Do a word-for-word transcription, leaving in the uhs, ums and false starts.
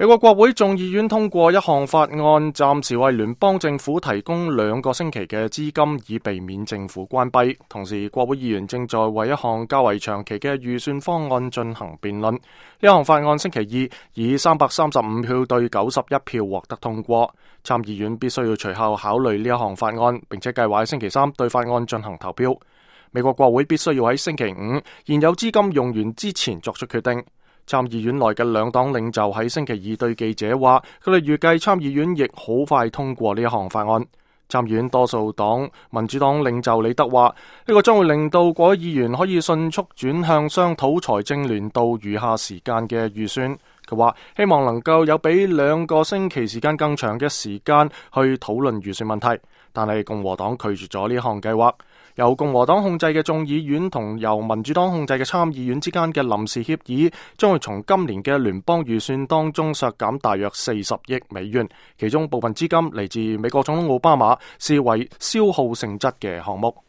美國國會眾議院通過一項法案，暫時為聯邦政府提供兩個星期嘅資金，以避免政府關閉。同時，國會議員正在為一項較為長期嘅預算方案進行辯論。呢項法案星期二以三百三十五票對九十一票獲得通過。參議院必須要隨後考慮呢一項法案，並且計劃喺星期三對法案進行投票。美國國會必須要喺星期五現有資金用完之前作出決定。參議院內嘅兩黨領袖喺星期二對記者話，佢哋預計參議院亦好快通過呢一項法案。參議院多數黨民主黨領袖李德話，呢個將會令到國會議員可以迅速轉向商討財政年度餘下時間嘅預算。佢話希望能夠有比兩個星期時間更長嘅時間去討論預算問題，但係共和黨拒絕咗呢項計劃。由共和黨控制嘅眾議院同由民主黨控制嘅參議院之間嘅臨時協議，將會從今年嘅聯邦預算當中削減大約四十億美元，其中部分資金嚟自美國總統奧巴馬視為消耗性質嘅項目。